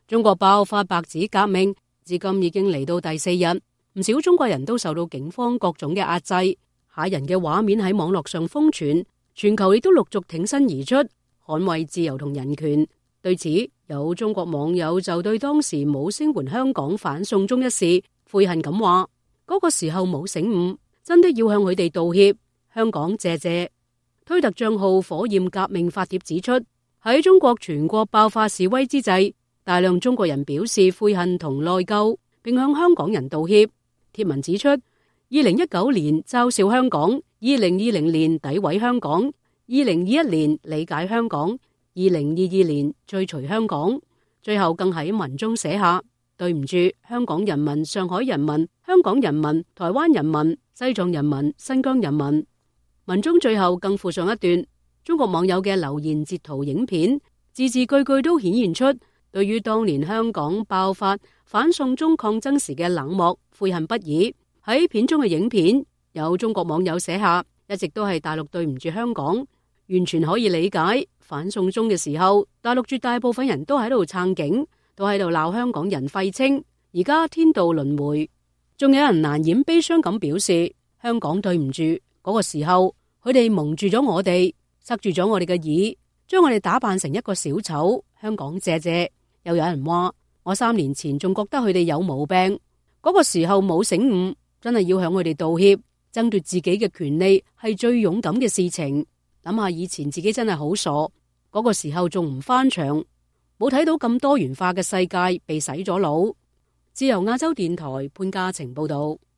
中國爆發白紙革命，至今已經嚟到第4日，唔少中國人都受到警方各種嘅壓制，嚇人嘅畫面喺網絡上瘋傳，全球亦都陸續挺身而出，捍衛自由同人權。對此，有中國網友就對當時冇聲援香港反送中一事悔恨咁話：嗰個時候冇醒悟，真的要向佢哋道歉。香港謝謝。推特賬號火焰革命發帖指出，喺中國全國爆發示威之際，大量中國人表示悔恨同內疚，並向香港人道歉。帖文指出，2019年嘲笑香港，2020年詆毀香港，2021年理解香港，2022年追隨香港，最後更喺文中寫下：對唔住香港人民、上海人民、香港人民、台灣人民、西藏人民、新疆人民。文中最後更附上一段中國網友嘅留言截圖影片，字字句句都顯現出對於當年香港爆發反送中抗爭時嘅冷漠悔恨不已。喺片中嘅影片，有中國網友寫下：一直都係大陸對唔住香港，完全可以理解。反送中嘅時候，大陸絕大部分人都喺度撐警，都喺度鬧香港人廢青。而家天道輪迴，仲有人難掩悲傷咁表示：香港對唔住，嗰個時候佢哋蒙住咗我哋，塞住咗我哋嘅耳，將我哋打扮成一個小丑。香港謝謝。又有人話：我3年前仲覺得佢哋有毛病，嗰個時候冇醒悟，真係要向佢哋道歉。爭奪自己嘅權利係最勇敢嘅事情。諗下以前自己真係好傻，嗰個時候仲唔翻牆，冇睇到咁多元化嘅世界被洗咗腦。自由亞洲電台潘嘉晴報道。